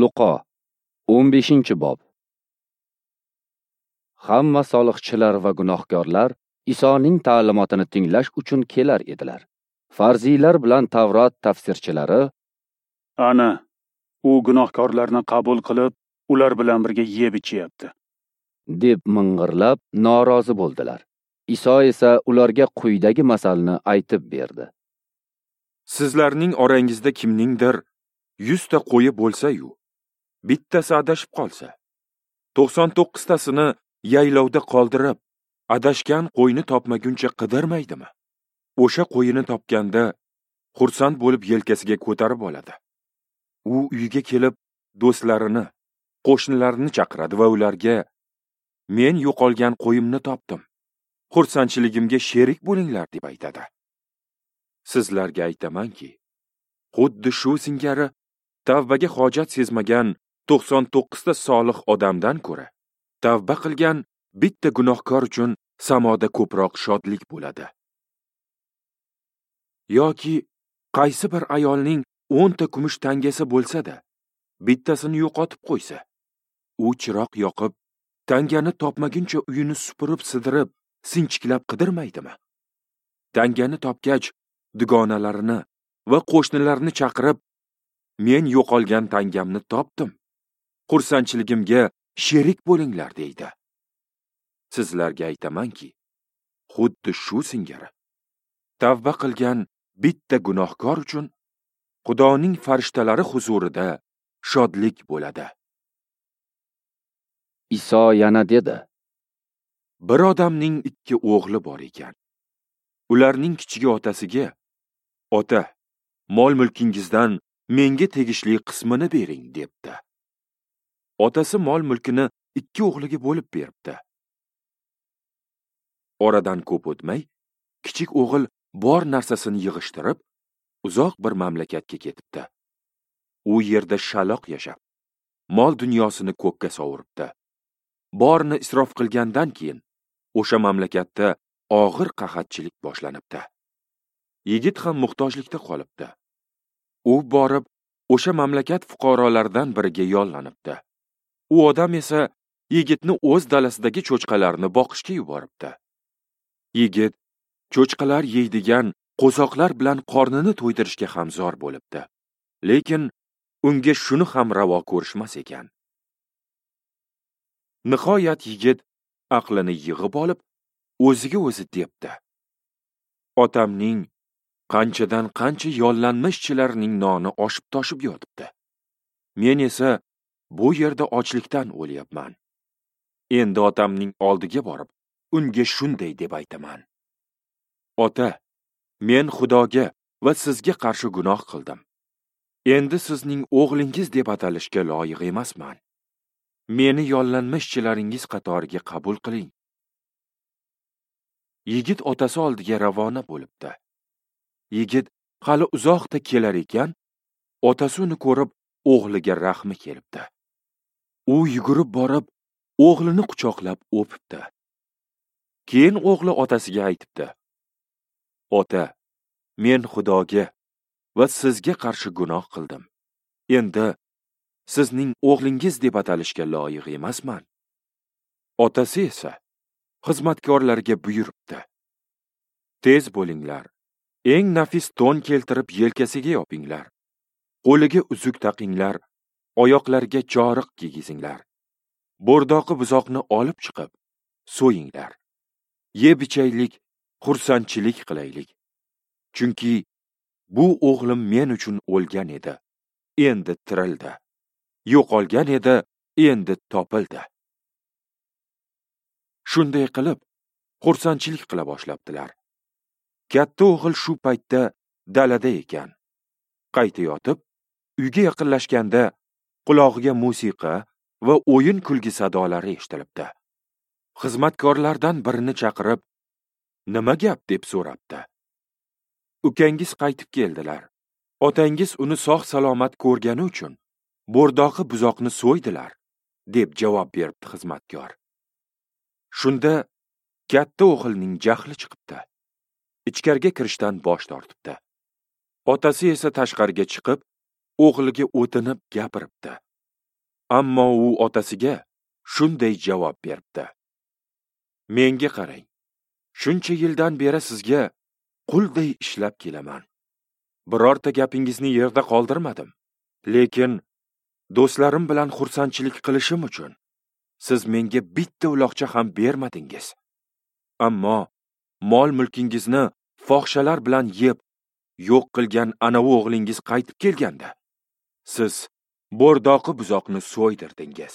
Luqo 15-bob. Hamma soliqchilar va gunohkorlar Isoning ta'limotini tinglash uchun kelar edilar. Farziylar bilan Tavrot tafsirchilari: "Ana, u gunohkorlarni qabul qilib, ular bilan birga yeb ichyapti", deb ming'irlab norozi bo'ldilar. Iso esa ularga quyidagi masalni aytib berdi. Sizlarning orangizda kimningdir 100 ta qo'yi bo'lsa-yu, bittasi adashib qolsa, 99 tasini yaylovda qoldirib, adashgan qo'yni topmaguncha qidirmaydimi? O'sha qo'yini topganda xursand bo'lib yelkasiga ko'tarib oladi. U uyga kelib do'stlarini, qo'shnilarini chaqiradi va ularga: "Men yo'qolgan qo'yimni topdim. Xursandchiligimga sherik bo'linglar", deb aytadi. Sizlarga aytamanki, xuddi shu singari tavbaga hojat sezmagan 99 ta solih odamdan ko'ra tavba qilgan bitta gunohkor uchun samoda ko'proq shodlik bo'ladi. Yoki qaysi bir ayolning 10 ta kumush tangasi bo'lsa-da, bittasini yo'qotib qo'ysa, u chiroq yoqib, tangani topmaguncha uyini supurib-sidirib, sinchiklab qidirmaydimi? Tangani topgach, dugonalarini va qo'shnilarini chaqirib, "Men yo'qolgan tangamni topdim. Xursandchiligimga sherik bo'linglar", deydi. Sizlarga aytamanki, xuddi shu singari tavba qilgan bitta gunohkor uchun Xudoning farishtalari huzurida shodlik bo'ladi. Iso yana dedi: Bir odamning 2 o'g'li bor ekan. Ularning kichigi otasiga: "Ota, mol-mulkingizdan menga tegishli qismini bering", debdi. Otasi mol-mulkini 2 o'g'liga bo'lib beribdi. Oradan ko'p o'tmay, kichik o'g'il bor narsasini yig'ishtirib, uzoq bir mamlakatga ketibdi. U yerda shaloq yashab, mol dunyosini ko'kka sovuribdi. Borini isrof qilgandan keyin o'sha mamlakatda og'ir qahatchilik boshlanibdi. Yigit ham muhtojlikda qolibdi. U borib o'sha mamlakat fuqarolaridan biriga yollanibdi. U odam esa yigitni o'z dalasidagi cho'chqalarni boqishga yuboribdi. Yigit cho'chqalar yeydigan qo'zoqlar bilan qornini to'ydirishga ham zor bo'libdi. Lekin unga shuni ham ravo ko'rishmas ekan. Nihoyat yigit aqlini yig'ib olib, o'ziga o'zi debdi: "Otamning qanchadan qancha yollanma ishchilarining noni oshib toshib yotibdi. Men esa bu yerda ochlikdan o'lyapman. Endi otamning oldiga borib, unga shunday deb aytaman: Ota, men Xudoga va sizga qarshi gunoh qildim. Endi sizning o'g'lingiz deb atalishga loyiq emasman. Meni yollanma ishchilaringiz qatoriga qabul qiling." Yigit otasi oldiga ravona bo'libdi. Yigit hali uzoqda kelar ekan, otasi uni ko'rib, o'g'liga rahmi kelibdi. U yugurib borib, o'g'lini quchoqlab o'pibdi. Keyin o'g'li otasiga aytibdi: "Ota, men Xudoga va sizga qarshi gunoh qildim. Endi sizning o'g'lingiz deb atalishga loyiq emasman." Otasi esa xizmatkorlarga buyuribdi: "Tez bo'linglar, eng nafis to'n keltirib yelkasiga yopinglar, qo'liga uzuk taqinglar, oyoqlariga choriq kiygizinglar. Bo'rdoqi buzoqni olib chiqib, so'yinglar. Yeb ichaylik, xursandchilik qilaylik. Chunki bu o'g'lim men uchun o'lgan edi, endi tirildi. Yo'qolgan edi, endi topildi." Shunday qilib, xursandchilik qila boshlabdilar. Katta o'g'il shu paytda dalada ekan. Qaytayotib, uyga yaqinlashganda qulog'iga musiqa va o'yin kulgi sadolari eshitilibdi. Xizmatkorlardan birini chaqirib, "Nima gap?" deb so'rabdi. "Ukangiz qaytib keldilar. Otangiz uni sog' salomat ko'rgani uchun bo'rdoqi buzoqni so'ydilar", deb javob beribdi xizmatkor. Shunda katta o'g'ilning jahli chiqibdi. Ichkariga kirishdan bosh tortibdi. Otasi esa tashqariga chiqib, o'g'liga o'tinib gapiribdi. Ammo u otasiga shunday javob beribdi: Menga qarang, shuncha yildan beri sizga qulday ishlab kelaman. Birorta gapingizni yerda qoldirmadim. Lekin do'stlarim bilan xursandchilik qilishim uchun siz menga bitta uloqcha ham bermadingiz. Ammo mol-mulkingizni fohishalar bilan yeb, yo'q qilgan anavi o'g'lingiz qaytib kelganda, siz bo'rdoqi buzoqni so'ydirdingiz.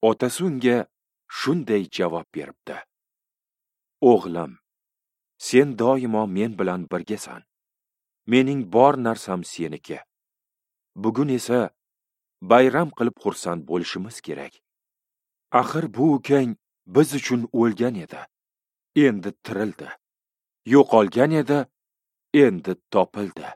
Otasi unga shunday javob beribdi: O'g'lim, sen doimo men bilan birgasan. Mening bor narsam seniki. Bugun esa bayram qilib xursand bo'lishimiz kerak. Axir bu ukang biz uchun o'lgan edi, endi tirildi. Yo'qolgan edi, endi topildi.